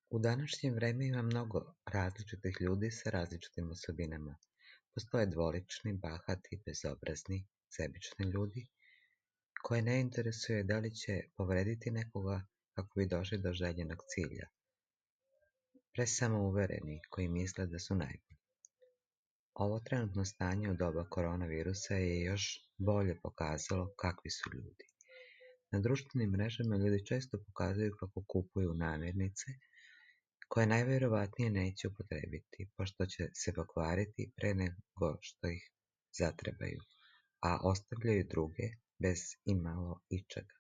U današnje vrijeme ima mnogo različitih ljudi sa različitim osobinama. Postoje dvolični, bahati, bezobrazni, sebični ljudi koje ne interesuje da li će povrediti nekoga kako bi došli do željenog cilja. Presamouvereni koji misle da su najbolji. Ovo trenutno stanje u doba koronavirusa je još bolje pokazalo kakvi su ljudi. Na društvenim mrežama ljudi često pokazuju kako kupuju namirnice koje najvjerovatnije neće upotrijebiti, pošto će se pokvariti pre nego što ih zatrebaju, a ostavljaju druge bez imalo ičega.